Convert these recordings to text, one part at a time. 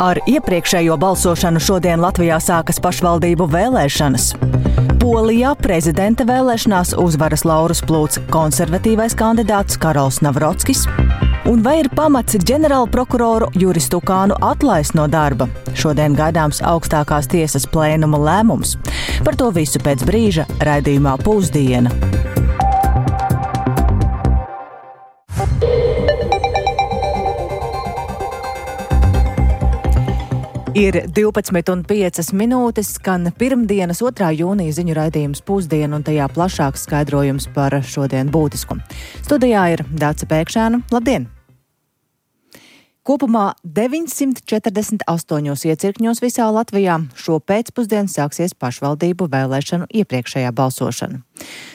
Ar iepriekšējo balsošanu šodien Latvijā sākas pašvaldību vēlēšanas. Polijā prezidenta vēlēšanās uzvaras laurus plūc konservatīvais kandidāts Karols Navrotskis. Un vai ir pamats ģenerāla prokuroru Juris Tukānu atlaist no darba? Šodien gaidāms augstākās tiesas plēnuma lēmums. Par to visu pēc brīža raidījumā Pusdiena. Ir 12:05, skan pirmdienas 2. jūnija ziņu raidījums Pusdiena un tajā plašāks skaidrojums par šodien būtisku. Studijā ir Dāca Pēkšēna. Labdien! Kopumā 948 iecirkņos visā Latvijā šo pēcpusdienu sāksies pašvaldību vēlēšanu iepriekšējā balsošana.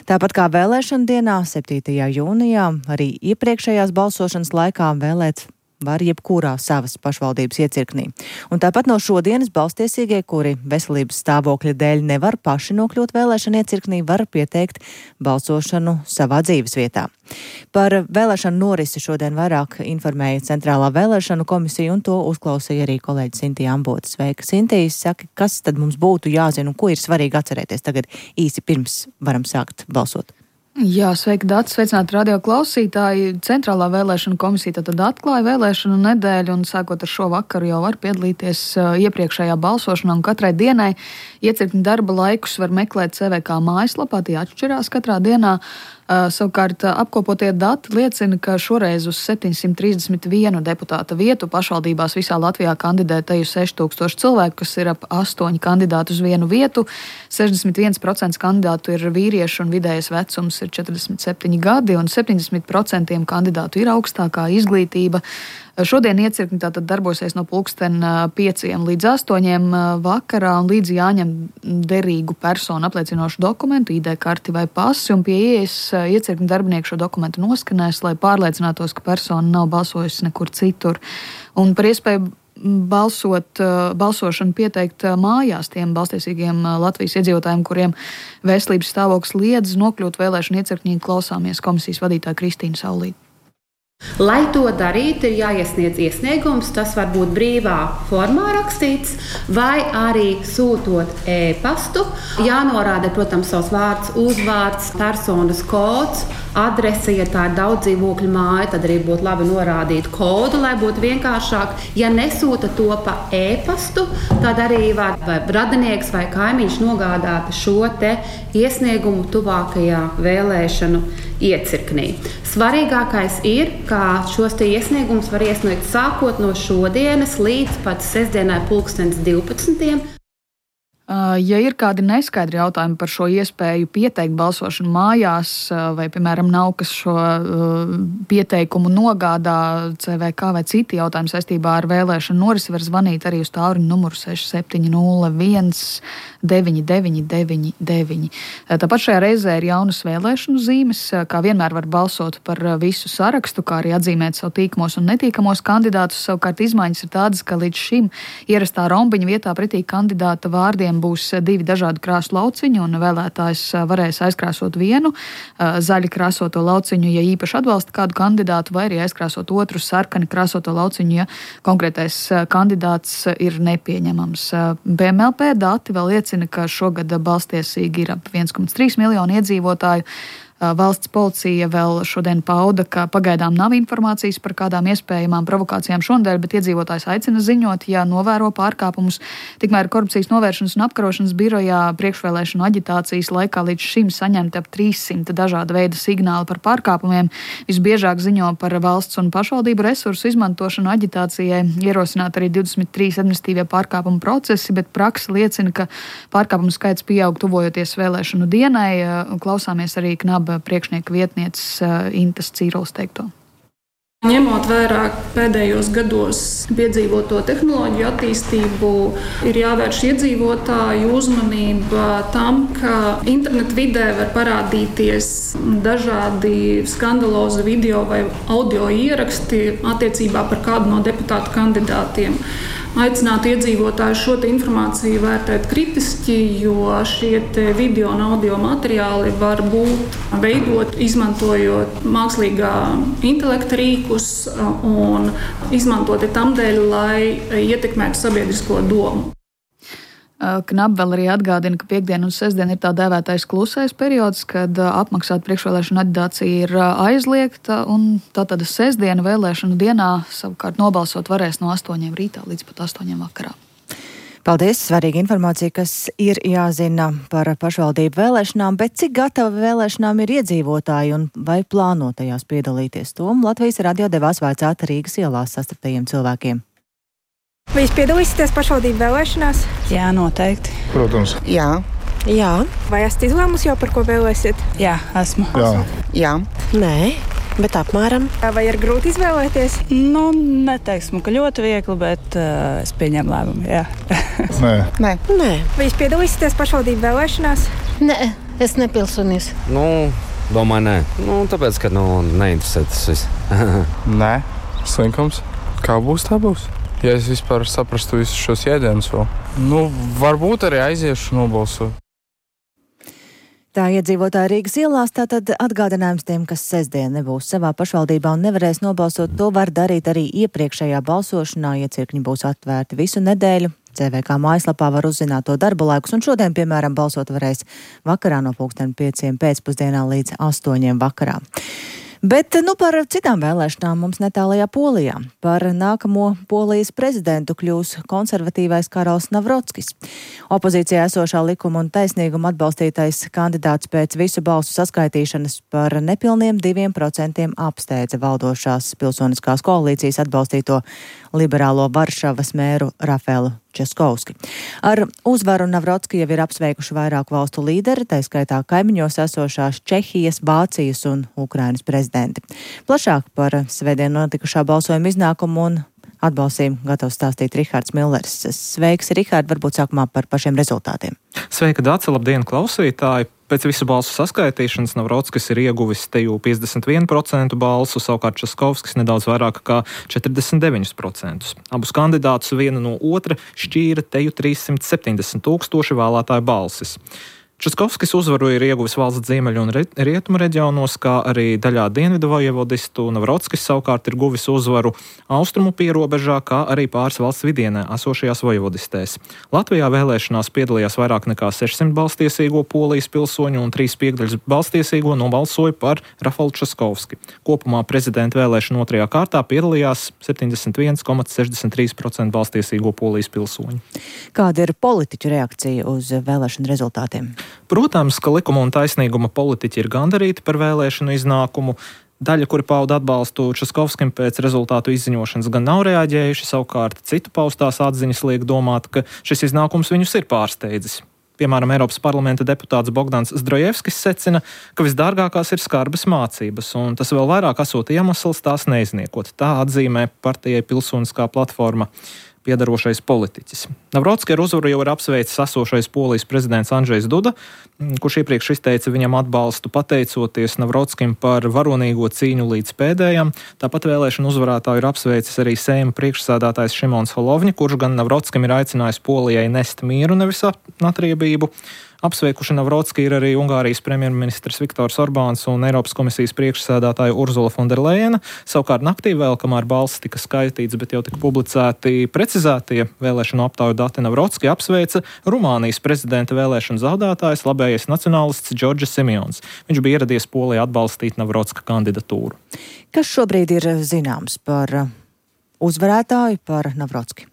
Tāpat kā vēlēšana dienā, 7. jūnijā, arī iepriekšējās balsošanas laikā vēlēt var jebkurā savas pašvaldības iecirknī. Un tāpat no šodienas balstiesīgie, kuri veselības stāvokļa dēļ nevar paši nokļūt vēlēšana iecirknī, var pieteikt balsošanu savā dzīves vietā. Par vēlēšanu norisi šodien vairāk informēja Centrālā vēlēšanu komisija, un to uzklausīja arī kolēģi Sintija Ambote. Sveika, Sintija, saka, kas tad mums būtu jāzina un ko ir svarīgi atcerēties tagad īsi pirms varam sākt balsot? Jā, sveiki, Dāca, sveicināti radio klausītāji. Centrālā vēlēšana komisija tad atklāja vēlēšanu nedēļu, un sākot ar šo vakaru jau var piedalīties iepriekšējā balsošanā, un katrai dienai iecirkņu darba laikus var meklēt CVK mājaslapā, tie atšķirās katrā dienā. Savukārt apkopotie dati liecina, ka šoreiz uz 731 deputāta vietu pašvaldībās visā Latvijā kandidē teju 6000 cilvēku, kas ir ap 8 kandidātu uz vienu vietu. 61% kandidātu ir vīrieši un vidējais vecums ir 47 gadi, un 70% kandidātu ir augstākā izglītība. Šodien iecirkņi tātad darbosies no 5 līdz 8 vakarā, un līdzi jāņem derīgu personu apliecinošu dokumentu, ID karti vai pasi, un pie ieejas iecirkņu darbinieki šo dokumentu noskanēs, lai pārliecinātos, ka persona nav balsojusi nekur citur. Un par iespēju balsošanu pieteikt mājās tiem balstiesīgiem Latvijas iedzīvotājiem, kuriem veselības stāvoklis liedz nokļūt vēlēšanu iecirkņī, klausāmies komisijas vadītāja Kristīna Saulīte. Lai to darītu, ir jāiesniedz iesniegums, tas var būt brīvā formā rakstīts, vai arī sūtot e-pastu. Jānorāda, protams, savs vārds, uzvārds, personas kods, adrese, ja tā ir daudz dzīvokļu māja, tad arī būtu labi norādīt kodu, lai būtu vienkāršāk. Ja nesūta to pa e-pastu, tad arī var vai radinieks vai kaimiņš nogādāt šo te iesniegumu tuvākajā vēlēšanu iecirknī. Svarīgākais ir, ka šos te iesniegumus var iesniegt sākot no šodienas līdz pat sestdienai 12:00. Ja ir kādi neskaidri jautājumi par šo iespēju pieteikt balsošanu mājās, vai, piemēram, nav kas šo pieteikumu nogādā CVK vai citi jautājumi saistībā ar vēlēšanu norisi, var zvanīt arī uz tālruņa numuru 6701 9999. Tāpat šajā reizē ir jaunas vēlēšanu zīmes, kā vienmēr var balsot par visu sarakstu, kā arī atzīmēt savu tīkamos un netīkamos kandidātus. Savukārt izmaiņas ir tādas, ka līdz šim ierastā rombiņa vietā pretī kandidāta vārdiem būs 2 dažādu krāsu lauciņu, un vēlētājs varēs aizkrāsot vienu zaļi krāsoto lauciņu, ja īpaši atbalsta kādu kandidātu, vai arī aizkrāsot otru sarkani krāsoto lauciņu, ja konkrētais kandidāts ir nepieņemams. BMLP dati vēl liecina, ka šogad balstiesīgi ir ap 1,3 miljonu iedzīvotāju. Valsts policija vēl šodien pauda, ka pagaidām nav informācijas par kādām iespējamām provokācijām šonadēļ, bet iedzīvotājs aicina ziņot, ja novēro pārkāpumus. Tikmēr Korupcijas novēršanas un apkarošanas birojā priekšvēlēšanu aģitācijas laikā līdz šim saņemti ap 300 dažāda veida signāli par pārkāpumiem. Visbiežāk ziņo par valsts un pašvaldību resursu izmantošanu aģitācijai, ierosināt arī 23 administratīvie pārkāpumu procesi, bet praksa liecina, ka pārkāpumu skaits pieaug tuvojoties vēlēšanu dienai. Klausāmies arī KNAB priekšnieka vietnieces Intas Cīrules teikto. Ņemot vērā pēdējos gados piedzīvoto tehnoloģiju attīstību, ir jāvērš iedzīvotāju uzmanība tam, ka internetu vidē var parādīties dažādi skandalozi video vai audio ieraksti attiecībā par kādu no deputātu kandidātiem. aicinātu iedzīvotājus šo informāciju vērtēt kritiski, jo šie video un audio materiāli var būt veidot, izmantojot mākslīgā intelekta rīkus un izmantoti tam dēļ, lai ietekmētu sabiedrisko domu. Knap vēl arī atgādina, ka piekdiena un sestdiena ir tā dēvētais klusais periods, kad apmaksāta priekšvēlēšana aģitācija ir aizliegta, un tātad sestdiena vēlēšanu dienā savukārt nobalsot varēs no 8 rītā līdz pat 8 vakarā. Paldies! Svarīga informācija, kas ir jāzina par pašvaldību vēlēšanām, bet cik gatavi vēlēšanām ir iedzīvotāji un vai plāno tajās piedalīties? To Latvijas radio devās vaicāt Rīgas ielās sastaptajiem cilvēkiem. Vai jūs piedalīsieties pašvaldību vēlēšanās? Jā, noteikti. Protams. Jā. Vai esat izlēmusi jau, par ko vēlēsiet? Jā, esmu. Jā. Nē, bet apmēram. Vai ir grūti izvēlēties? Neteiksim, ka ļoti viegli, bet es pieņemu lēmumu, jā. Nē. Vai jūs piedalīsieties pašvaldību vēlēšanās? Nē, es nepilsonis. Domāju, nē. Tāpēc, ka neinteresē tas viss. Nē, slinkums. Kā būs, tā būs. Ja es vispār saprastu visus šos jēdzienus vēl. Varbūt arī aiziešu nobalsot. Tā iedzīvotāji Rīgas ielās, tātad atgādinājums tiem, kas sestdien nebūs savā pašvaldībā un nevarēs nobalsot, to var darīt arī iepriekšējā balsošanā, ja cirkņi būs atvērti visu nedēļu. CVK mājaslapā var uzzināt to darba laikus, un šodien, piemēram, balsot varēs vakarā no 5:00 pēcpusdienā līdz 8:00 vakarā. Bet par citām vēlēšanām mums netālajā Polijā. Par nākamo Polijas prezidentu kļūs konservatīvais Karls Navrotskis. Opozīcijā esošā Likuma un taisnīguma atbalstītais kandidāts pēc visu balsu saskaitīšanas par nepilniem 2% apsteidza valdošās pilsoniskās koalīcijas atbalstīto liberālo Varšavas mēru Rafēlu Českovski. Ar uzvaru Navrotski jau ir apsveikuši vairāku valstu līderi, tā skaitā kaimiņos esošās Čehijas, Vācijas un Ukrainas prezidenti. Plašāk par svētdien notikušā balsojuma iznākumu un atbalstījumu gatavs stāstīt Rihards Millers. Sveiks, Rihard, varbūt sākumā par pašiem rezultātiem. Sveika, Dāce, labdien, klausītāji! Pēc visu balsu saskaitīšanas Navrotskis ir ieguvis te jau 51% balsu, savukārt Českovskis nedaudz vairāk kā 49%. Abus kandidātus viena no otra šķīra te jau 370 000 vēlētāju balsis. Českovskis uzvaru ir ieguvis valsts ziemeļu un rietumu reģionos, kā arī daļā dienvidu vojevodistu. Navrotskis savukārt ir guvis uzvaru austrumu pierobežā, kā arī pāris valsts vidienē esošajās vojevodistēs. Latvijā vēlēšanās piedalījās vairāk nekā 600 balstiesīgo Polijas pilsoņu un 3/5 balstiesīgo nobalsoja par Rafelu Českovski. Kopumā prezidenta vēlēšanu otrajā kārtā piedalījās 71,63% balstiesīgo Polijas pilsoņu. Kāda ir politiķu reakcija uz vēlēšanu rezultātiem? Protams, ka Likuma un taisnīguma politiķi ir gandarīti par vēlēšanu iznākumu. Daļa, kuri pauda atbalstu Českovskim pēc rezultātu izziņošanas, gan nav reaģējuši, savukārt citu paustās atziņas liek domāt, ka šis iznākums viņus ir pārsteidzis. Piemēram, Eiropas parlamenta deputāts Bogdans Zdrojevskis secina, ka visdārgākās ir skarbas mācības, un tas vēl vairāk esot iemesls tās neizniekot. Tā atzīmē partijai Pilsoniskā platforma piedarošais politiķis. Navrotski ar uzvaru jau ir apsveicis esošais Polijas prezidents Andžejs Duda, kurš iepriekš izteica viņam atbalstu pateicoties Navrotskim par varonīgo cīņu līdz pēdējam. Tāpat vēlēšanu uzvarētāju ir apsveicis arī Seima priekšsēdētājs Šimons Holovņi, kurš gan Navrotskim ir aicinājis Polijai nest mieru, nevis atriebību. Apsveikuši Navrotski ir arī Ungārijas premjerministrs Viktors Orbāns un Eiropas komisijas priekšsēdētāja Urzula Fonderlejena. Savukārt naktī vēl, kamēr balsis tika skaitīts, bet jau tika publicēti precizētie vēlēšanu aptauju dati, Navrotski apsveica Rumānijas prezidenta vēlēšanu zaudētājs, labējais nacionālists Džordžs Simjons. Viņš bija ieradies Polijā atbalstīt Navrotska kandidatūru. Kas šobrīd ir zināms par uzvarētāju, par Navrotski?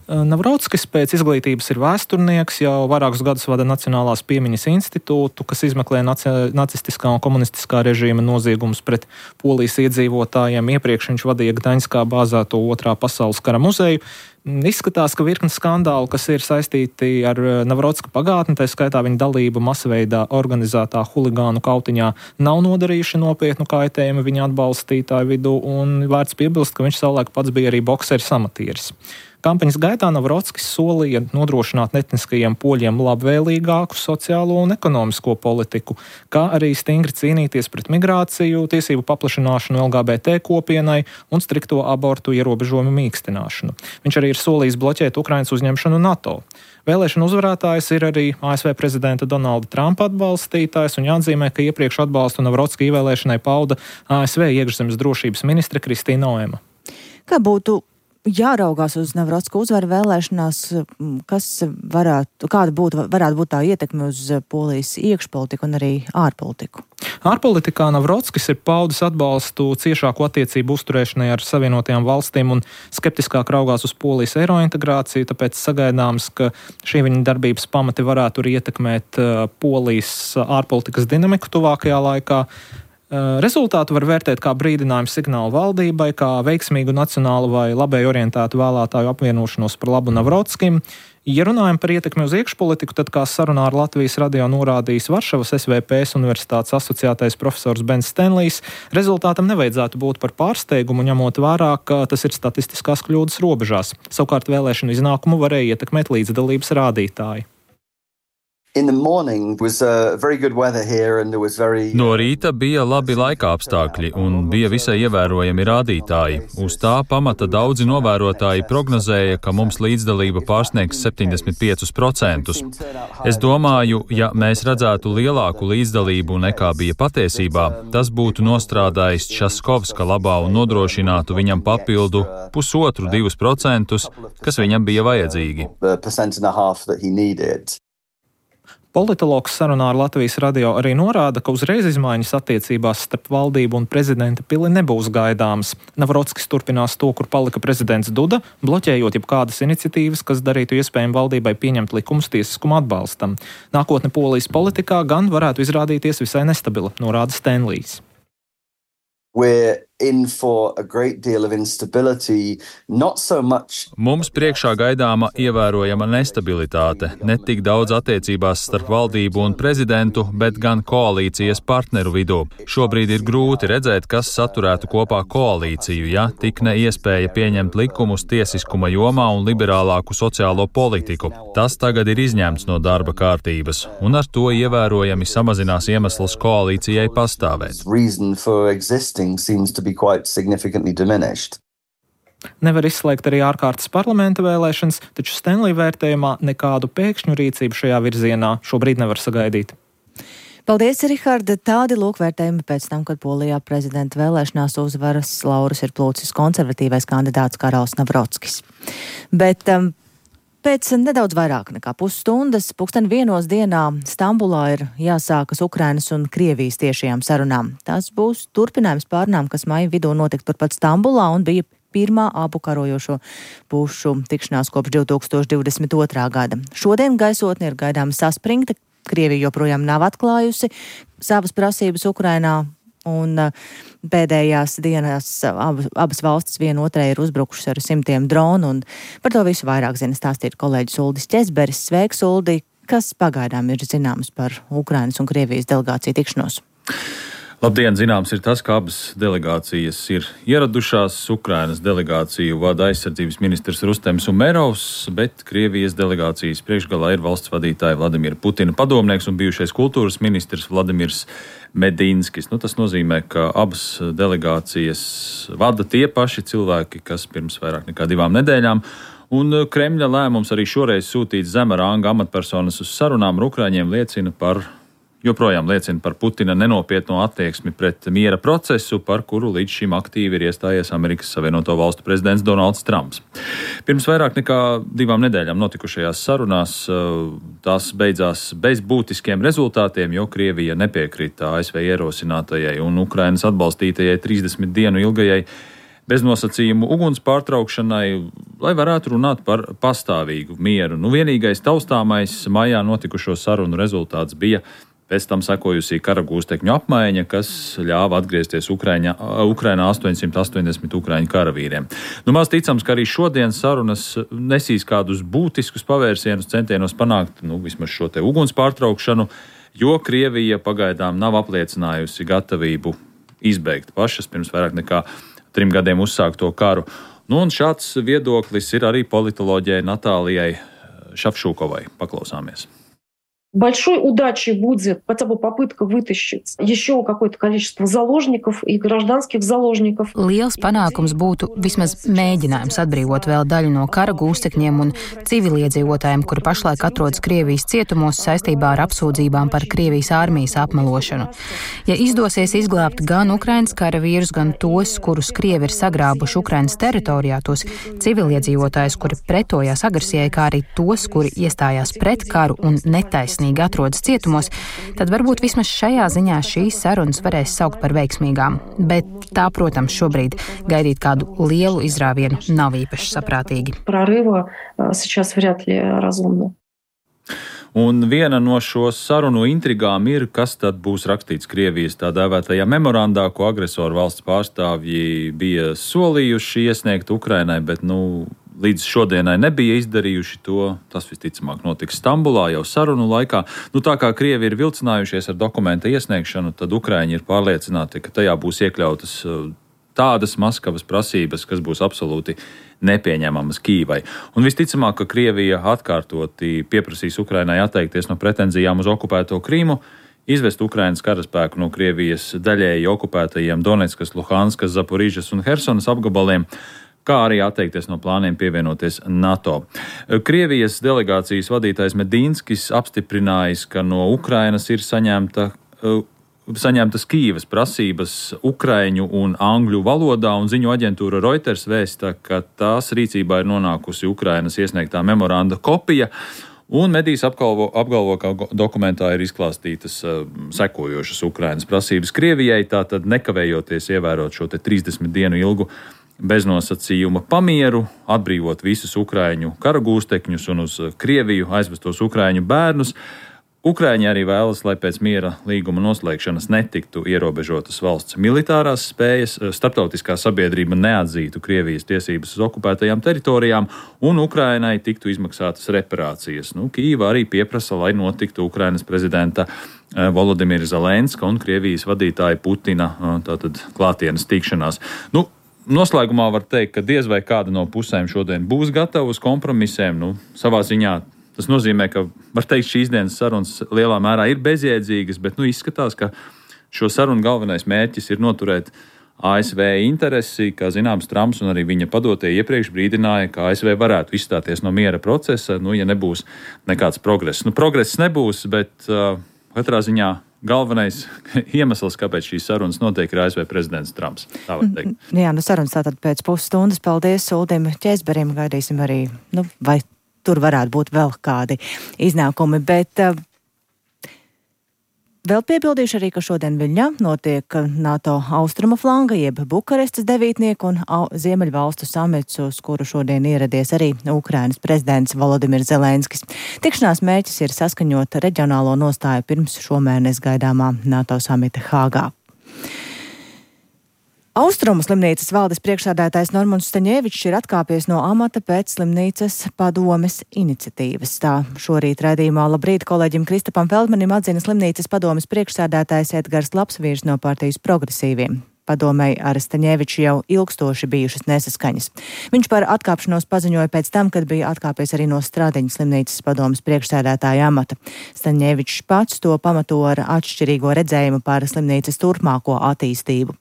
Navrotskis pēc izglītības ir vēsturnieks, jau vairākus gadus vada Nacionālās piemiņas institūtu, kas izmeklē nacistiskā un komunistiskā režīma noziegumus pret Polijas iedzīvotājiem. Iepriekš viņš vadīja Gdaņskā bāzēto Otrā pasaules kara muzeju. Izskatās, ka virkne skandālu, kas ir saistīti ar Navrotska pagātni, tā skaitā viņa dalību masveidā organizētā huligānu kautiņā, nav nodarījuši nopietnu kaitējumu viņa atbalstītāju vidū, un vērts piebilst, ka viņš savulaik pats bija arī bokseris amatieris. Kampaņas gaitā Navrotskis solīja nodrošināt etniskajiem poļiem labvēlīgāku sociālo un ekonomisko politiku, kā arī stingri cīnīties pret migrāciju, tiesību paplašināšanu LGBT kopienai un strikto abortu ierobežojumu mīkstināšanu. Viņš arī ir ir solījis bloķēt Ukrainas uzņemšanu NATO. Vēlēšanu uzvarētājs ir arī ASV prezidenta Donalda Trumpa atbalstītājs, un jāatzīmē, ka iepriekš atbalstu Navrocka ievēlēšanai pauda ASV iekšzemes drošības ministre Kristīna Noema. Kā būtu jāraugās uz Navrocka uzvaru vēlēšanās, kāda varētu būt tā ietekme uz Polijas iekšpolitiku un arī ārpolitiku? Ārpolitikā Navrotskis ir paudis atbalstu ciešāku attiecību uzturēšanai ar Savienotajām valstīm un skeptiskāk raugās uz Polijas eirointegrāciju, tāpēc sagaidāms, ka šī viņa darbības pamati varētu arī ietekmēt Polijas ārpolitikas dinamiku tuvākajā laikā. Rezultātu var vērtēt kā brīdinājumu signālu valdībai, kā veiksmīgu nacionālu vai labēji orientētu vēlētāju apvienošanos par labu Navrotskim. Ja runājam par ietekmi uz iekšpolitiku, tad kā sarunā ar Latvijas radio norādījis Varšavas SVPS universitātes asociētais profesors Bens Stenlijs, rezultātam nevajadzētu būt par pārsteigumu, ņemot vērā, ka tas ir statistiskās kļūdas robežās. Savukārt vēlēšanu iznākumu varēja ietekmēt līdzdalības rādītāji. No rīta bija labi laika apstākļi un bija visai ievērojami rādītāji. Uz tā pamata daudzi novērotāji prognozēja, ka mums līdzdalība pārsniegs 75%. Es domāju, ja mēs redzētu lielāku līdzdalību nekā bija patiesībā, tas būtu nostrādājis Časkovska labā un nodrošinātu viņam papildu 1,5–2%, kas viņam bija vajadzīgi. Politologs sarunā ar Latvijas radio arī norāda, ka uzreiz izmaiņas attiecībās starp valdību un prezidenta pili nebūs gaidāmas. Navrotskis turpinās to, kur palika prezidents Duda, bloķējot jebkādas iniciatīvas, kas darītu iespējami valdībai pieņemt likumus tiesiskuma atbalstam. Nākotne Polijas politikā gan varētu izrādīties visai nestabila, norāda Stenlijs. Mums priekšā gaidāma ievērojama nestabilitāte, ne tik daudz attiecībās starp valdību un prezidentu, bet gan koalīcijas partneru vidū. Šobrīd ir grūti redzēt, kas saturētu kopā koalīciju, ja tik ne iespēja pieņemt likumus tiesiskuma jomā un liberālāku sociālo politiku. Tas tagad ir izņemts no darba kārtības, un ar to ievērojami samazinās iemesls koalīcijai pastāvēt. Nevar izslēgt arī ārkārtas parlamenta vēlēšanas, taču Stenlija vērtējumā nekādu pēkšņu rīcību šajā virzienā šobrīd nevar sagaidīt. Paldies, Riharda. Tādi lūkvērtējumi pēc tam, kad Polijā prezidenta vēlēšanās uzvaras laurus ir plūcis konservatīvais kandidāts Karals Navrotskis. Bet pēc nedaudz vairāk nekā pusstundas, 1:00 dienā Stambulā ir jāsākas Ukrainas un Krievijas tiešajām sarunām. Tas būs turpinājums pārunām, kas maija vidū notika turpat Stambulā un bija pirmā abu karojošo pušu tikšanās kopš 2022. gada. Šodien gaisotne ir gaidāma saspringta. Krievija joprojām nav atklājusi savas prasības Ukrainā. Un pēdējās dienās abas valstis vienotrai ir uzbrukušas ar simtiem dronu, un par to visu vairāk zina stāstīt kolēģis Uldis Ķesberis. Sveiks, Uldi! Kas pagaidām ir zināms par Ukrainas un Krievijas delegāciju tikšanos? Labdien! Zināms ir tas, ka abas delegācijas ir ieradušās. Ukrainas delegāciju vada aizsardzības ministrs Rustems Umerovs, bet Krievijas delegācijas priekšgalā ir valsts vadītāja Vladimira Putina padomnieks un bijušais kultūras ministrs Vladimirs Medinskis. Tas nozīmē, ka abas delegācijas vada tie paši cilvēki, kas pirms vairāk nekā 2 nedēļām. Un Kremļa lēmums arī šoreiz sūtīt zema ranga amatpersonas uz sarunām ar Ukraiņiem joprojām liecina par Putina nenopietno attieksmi pret miera procesu, par kuru līdz šim aktīvi ir iestājies Amerikas Savienoto Valstu prezidents Donalds Trumps. Pirms vairāk nekā 2 nedēļām notikušajās sarunās tās beidzās bez būtiskiem rezultātiem, jo Krievija nepiekrita ASV ierosinātajai un Ukrainas atbalstītajai 30 dienu ilgajai beznosacījumu uguns pārtraukšanai, lai varētu runāt par pastāvīgu mieru. Vienīgais taustāmais maijā notikušo sarunu rezultāts bija pēc tam sekojusi kara gūstekņu apmaiņa, kas ļāva atgriezties Ukrainā 880 ukraiņu karavīriem. Maz ticams, ka arī šodien sarunas nesīs kādus būtiskus pavērsienus centienos panākt vismaz šo te uguns pārtraukšanu, jo Krievija pagaidām nav apliecinājusi gatavību izbeigt pašas pirms vairāk nekā 3 gadiem uzsākto karu. Un šāds viedoklis ir arī politoloģijai Natālijai Šafšūkovai. Paklausāmies. Большой удачей будет хотя бы попытка вытащить еще какое-то количество заложников и гражданских заложников. Liels panākums būtu vismaz mēģinājums atbrīvot vēl daļu no kara gūstekņiem un civiliedzīvotājiem, kuri pašlaik atrodas Krievijas cietumos saistībā ar apsūdzībām par Krievijas armijas apmelošanu. Ja izdosies izglābt gan Ukrainas karavīrus, gan tos, kurus Krievi ir sagrābuši Ukrainas teritorijā, tos civiliedzīvotājus, kuri pretojās agresijai, kā arī tos, kuri iestājās pret karu un netaisnīgi atrodas cietumos, tad varbūt vismaz šajā ziņā šīs sarunas varēs saukt par veiksmīgām. Bet tā, protams, šobrīd gaidīt kādu lielu izrāvienu nav īpaši saprātīgi. Прорыва сейчас вряд ли разумно. Un viena no šo sarunu intrigām ir, kas tad būs rakstīts Krievijas tā dēvētajā memorandā, ko agresoru valsts pārstāvji bija solījuši iesniegt Ukrainai, bet līdz šodienai nebija izdarījuši to. Tas visticamāk notiks Stambulā jau sarunu laikā. Tā kā Krievi ir vilcinājušies ar dokumenta iesniegšanu, tad Ukraiņi ir pārliecināti, ka tajā būs iekļautas tādas Maskavas prasības, kas būs absolūti nepieņemamas Kīvai. Un visticamāk, ka Krievija atkārtoti pieprasīs Ukrainai atteikties no pretenzijām uz okupēto Krīmu, izvest Ukrainas karaspēku no Krievijas daļēji okupētajiem Donetskas, Luhanskas, Zaporižas un Hersonas apgabaliem, kā arī atteikties no plāniem pievienoties NATO. Krievijas delegācijas vadītājs Medīnskis apstiprinājis, ka no Ukrainas ir saņemtas Kīivas prasības ukraiņu un angļu valodā, un ziņu aģentūra Reuters vēsta, ka tās rīcībā ir nonākusi Ukrainas iesniegtā memoranda kopija, un medijas apgalvo, ka dokumentā ir izklāstītas sekojošas Ukrainas prasības Krievijai, tātad nekavējoties ievērot šo 30 dienu ilgu beznosacījuma pamieru, atbrīvot visus ukraiņu karagūstekņus un uz Krieviju aizvestos ukraiņu bērnus. Ukraiņi arī vēlas, lai pēc miera līguma noslēgšanas netiktu ierobežotas valsts militārās spējas, starptautiskā sabiedrība neatzītu Krievijas tiesības uz okupētajām teritorijām un Ukrainai tiktu izmaksātas reparācijas. Kīva arī pieprasa, lai notiktu Ukrainas prezidenta Volodimira Zelenska un Krievijas vadītāja Putina tātad klātienes tikšanās. Noslēgumā var teikt, ka diez vai kāda no pusēm šodien būs gatava uz kompromisiem. Savā ziņā tas nozīmē, ka var teikt, šīs dienas sarunas lielā mērā ir bezjēdzīgas, bet izskatās, ka šo sarunu galvenais mērķis ir noturēt ASV interesi. Kā zināms, Trumps un arī viņa padotie iepriekš brīdināja, ka ASV varētu izstāties no miera procesa, ja nebūs nekāds progress. Progress nebūs, bet katrā ziņā galvenais iemesls, kāpēc šīs sarunas notiek, ir ASV prezidents Trumps. Tā var teikt. Jā, sarunas tātad pēc pusstundas. Paldies Uldim Ķēzberim. Gaidīsim arī, vai tur varētu būt vēl kādi iznākumi. Bet vēl piebildīšu arī, ka šodien Viļņā notiek NATO austrumu flanga, jeb Bukarestas devītnieku un Ziemeļvalstu samits, uz kuru šodien ieradies arī Ukrainas prezidents Volodimirs Zelenskis. Tikšanās mērķis ir saskaņot reģionālo nostāju pirms šomēnes gaidāmā NATO samita Hāgā. Austrumu slimnīcas valdes priekšsēdētājs Normunds Staņevičs ir atkāpies no amata pēc slimnīcas padomes iniciatīvas. Tā šorīt raidījumā Labrīt kolēģim Kristapam Feldmanim atzina slimnīcas padomes priekšsēdētājs Edgars Lapsvīrs no partijas Progresīviem. Padomei ar Staņeviču jau ilgstoši bijušas nesaskaņas. Viņš par atkāpšanos paziņoja pēc tam, kad bija atkāpies arī no Stradiņa slimnīcas padomes priekšsēdētāja amata. Staņevičs pats to pamato ar atšķirīgo redzējumu par slimnīcas turpmāko attīstību.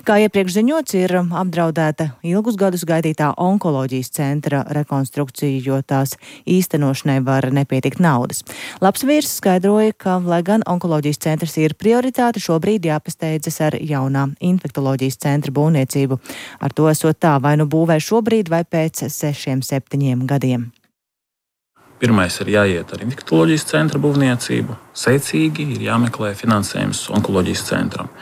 Kā iepriekš ziņots, ir apdraudēta ilgus gadus gaidītā onkoloģijas centra rekonstrukcija, jo tās īstenošanai var nepietikt naudas. Lapsvīrs skaidroja, ka, lai gan onkoloģijas centrs ir prioritāte, šobrīd jāpasteidzas ar jaunā infekcijas centra būvniecību. Ar to esot tā, vai būvē šobrīd vai pēc 6-7 gadiem. Pirmais ir jāiet ar infekcijas centra būvniecību. Secīgi ir jāmeklē finansējums onkoloģijas centram.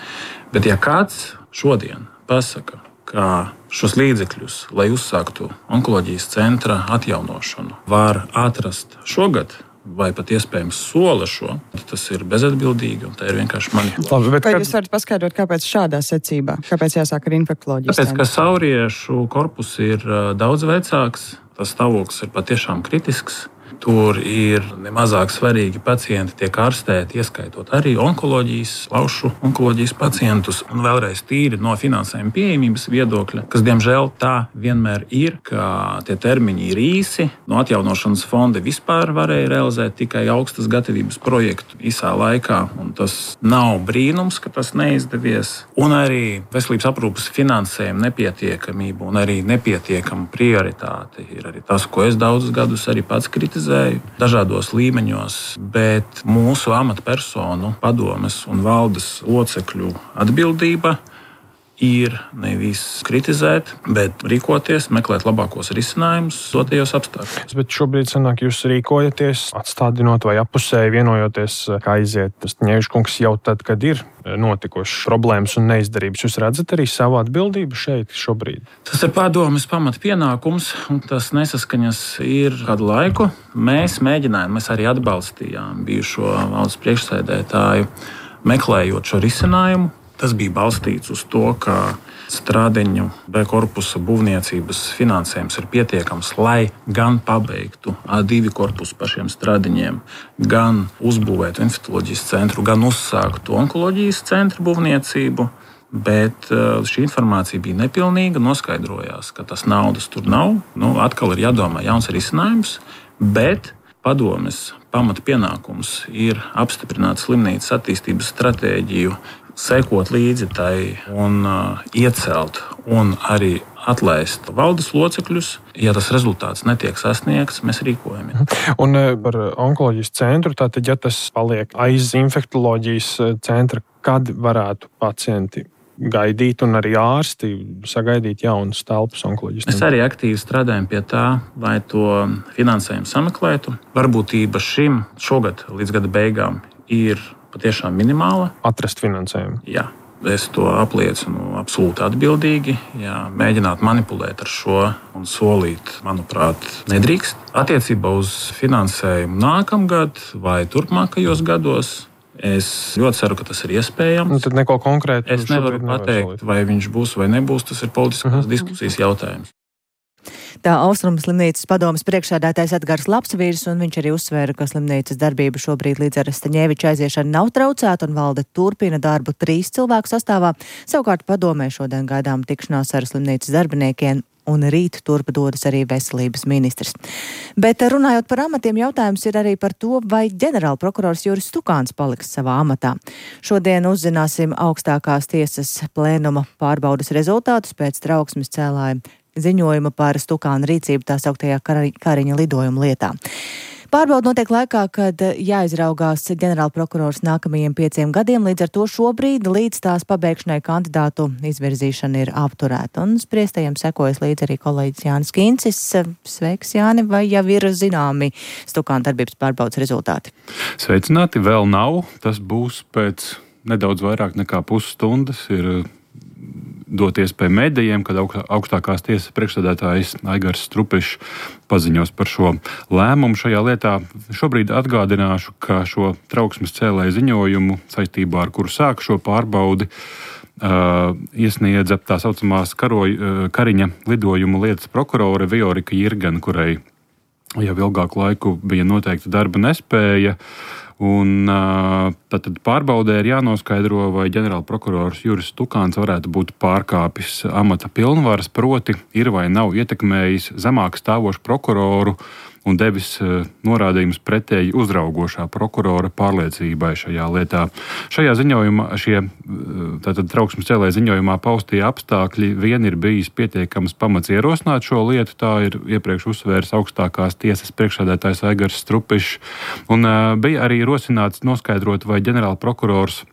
Bet ja kāds šodien pasaka, ka šos līdzekļus, lai uzsāktu onkoloģijas centra atjaunošanu, var atrast šogad, vai pat iespējams sola šo, tas ir bezatbildīgi un tā ir vienkārši manipulācija. Vai jūs varat paskaidrot, kāpēc šādā secībā? Kāpēc jāsāk ar infektoloģijas? Tāpēc, ka sauriešu korpus ir daudz vecāks, tas stāvoklis ir patiešām kritisks. Tur ir nemazāk svarīgi pacienti tiek ārstēti, ieskaitot arī onkoloģijas, plaušu onkoloģijas pacientus. Un vēlreiz tīri no finansējuma pieejamības viedokļa, kas diemžēl tā vienmēr ir, ka tie termiņi ir īsi. No atjaunošanas fonda vispār varēja realizēt tikai augstas gatavības projektu īsā laikā, un tas nav brīnums, ka tas neizdevies. Un arī veselības aprūpes finansējuma nepietiekamība un arī nepietiekama prioritāte ir arī tas, ko es daudzus gadus arī pats kritizēju dažādos līmeņos, bet mūsu amatpersonu, padomes un valdes locekļu atbildība ir nevis kritizēt, bet rīkoties, meklēt labākos risinājumus dotajos apstākļos. Bet šobrīd sanāk, jūs rīkojaties, atstādinot vai appusēji vienojoties, kā aiziet. Staņevičkungs jau tad, kad ir notikušas problēmas un neizdarības, jūs redzat arī savu atbildību šeit šobrīd? Tas ir padomes pamatpienākums, un tas nesaskaņas ir kādu laiku. Mēs mēģinājām, mēs arī atbalstījām bijušo valsts priekšsēdētāju, meklējot šo risinājumu. Tas bija balstīts uz to, ka Strādeņu B korpusa būvniecības finansējums ir pietiekams, lai gan pabeigtu A2 korpusu pašiem Strādeņiem, gan uzbūvētu infektoloģijas centru, gan uzsāktu onkoloģijas centru būvniecību. Bet šī informācija bija nepilnīga, noskaidrojās, ka tas naudas tur nav. Atkal ir jādomā jauns risinājums, bet padomes pamatpienākums ir apstiprināt slimnīcas attīstības stratēģiju, sekot līdzi tai un iecelt un arī atlaist valdes locekļus. Ja tas rezultāts netiek sasniegts, mēs rīkojamies. Un par onkoloģijas centru, tātad, ja tas paliek aiz infektoloģijas centra, kad varētu pacienti gaidīt un arī ārsti sagaidīt jaunas telpas onkoloģijas centrā? Mēs arī aktīvi strādājam pie tā, lai to finansējumu sameklētu. Varbūtība šim šogad līdz gada beigām ir patiešām minimāla. Atrast finansējumu. Jā, es to apliecinu absolūti atbildīgi. Jā, mēģināt manipulēt ar šo un solīt, manuprāt, nedrīkst. Attiecībā uz finansējumu nākamgad vai turpmākajos gados es ļoti ceru, ka tas ir iespējams. Tad neko konkrētu es nevaru pateikt, vai viņš būs vai nebūs. Tas ir politiskās diskusijas jautājums. Tā Austrumu slimnīcas padomes priekšsēdētājs Edgars Lapsvīrs, un viņš arī uzsvēra, ka slimnīcas darbība šobrīd līdz ar Staņeviča aiziešanu nav traucēta un valde turpina darbu 3 cilvēku sastāvā. Savukārt padomē šodien gaidām tikšanās ar slimnīcas darbiniekiem, un rīt turpa dodas arī veselības ministrs. Bet runājot par amatiem, jautājums ir arī par to, vai ģenerālprokurors Juris Stukāns paliks savā amatā. Šodien uzzināsim augstākās tiesas plēnuma pārbaudas rezultātus pēc trauksmes cēlāja ziņojuma par Stukāna rīcību tā sauktajā Kariņa lidojuma lietā. Pārbauda notiek laikā, kad jāizraugās ģenerālprokurors nākamajiem 5 gadiem, līdz ar to šobrīd līdz tās pabeigšanai kandidātu izvirzīšana ir apturēta. Un spriestajiem sekojas līdz arī kolēģis Jānis Kīncis. Sveiks, Jāni, vai jau ir zināmi Stukāna darbības pārbaudas rezultāti? Sveicināti, vēl nav. Tas būs pēc nedaudz vairāk nekā pusstundas. Ir dot iespēju medijiem, kad augstākās tiesas priekšsēdētājs Aigars Strupišs paziņos par šo lēmumu šajā lietā. Šobrīd atgādināšu, ka šo trauksmes cēlēju ziņojumu, saistībā ar kuru sāk šo pārbaudi, iesniedza tā saucamās Kariņa lidojuma lietas prokurore Viorika Jirgena, kurai jau ilgāku laiku bija noteikta darba nespēja. Un tad pārbaudē ir jānoskaidro, vai ģenerālprokurors Juris Stukāns varētu būt pārkāpis amata pilnvaras, proti ir vai nav ietekmējis zemāk stāvošu prokuroru un devis norādījumus pretēji uzraugošā prokurora pārliecībai šajā lietā. Šajā ziņojumā, tātad trauksmes cēlēja ziņojumā paustie apstākļi vien ir bijis pietiekams pamats ierosināt šo lietu, tā ir iepriekš uzsvērs augstākās tiesas priekšsēdētājs Aigars Strupišs, un bija arī rosināts noskaidrot, vai ģenerālprokurors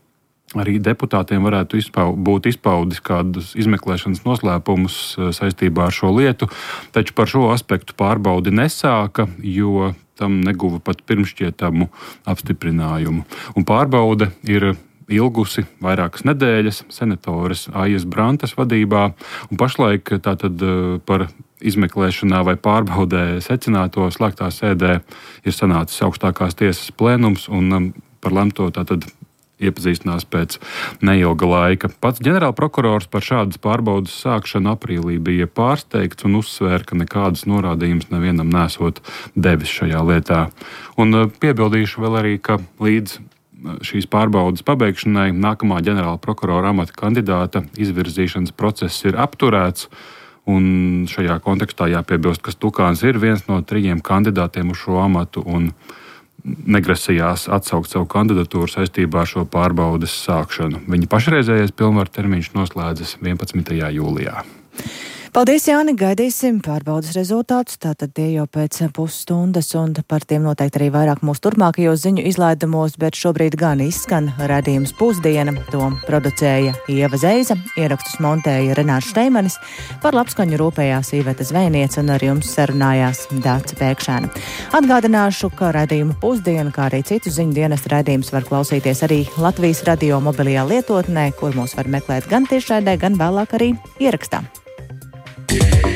arī deputātiem varētu būt izpaudis kādus izmeklēšanas noslēpumus saistībā ar šo lietu, taču par šo aspektu pārbaudi nesāka, jo tam neguva pat pirmšķietamu apstiprinājumu. Un pārbaude ir ilgusi vairākas nedēļas senatoras Aijas Brantas vadībā, un pašlaik tātad par izmeklēšanā vai pārbaudē secināto slēgtā sēdē ir sanācis augstākās tiesas plēnums, un par lemto tātad iepazīstinās pēc neilga laika. Pats ģenerālprokurors par šādas pārbaudas sākšanu aprīlī bija pārsteigts un uzsvēra, ka nekādas norādījumus nevienam nesot devis šajā lietā. Un piebildīšu vēl arī, ka līdz šīs pārbaudas pabeigšanai nākamā ģenerālprokurora amata kandidāta izvirzīšanas process ir apturēts. Un šajā kontekstā jāpiebilst, ka Stukāns ir viens no 3 kandidātiem uz šo amatu un negrasījās atsaukt savu kandidatūru saistībā ar šo pārbaudes sākšanu. Viņa pašreizējais pilnvaru termiņš noslēdzas 11. jūlijā. Paldies, Jāni, gaidīsim pārbaudas rezultātus, tātad tie jau pēc pusstundas, un par tiem noteikti arī vairāk mūsu turpmākajos ziņu izlaidumos, bet šobrīd gan izskan raidījums Pusdiena, to producēja Ieva Zeiza, ierakstus montēja Renārs Šteimanis, par labskaņu rūpējās Iveta Zvejniece un ar jums sarunājās Dāca Pēkšēna. Atgādināšu, ka raidījumu Pusdiena, kā arī citu ziņu dienestu raidījumus var klausīties arī Latvijas radio mobilajā lietotnē, kur mūs var meklēt gan tiešraidē, gan vēlāk arī ierakstā. Yeah.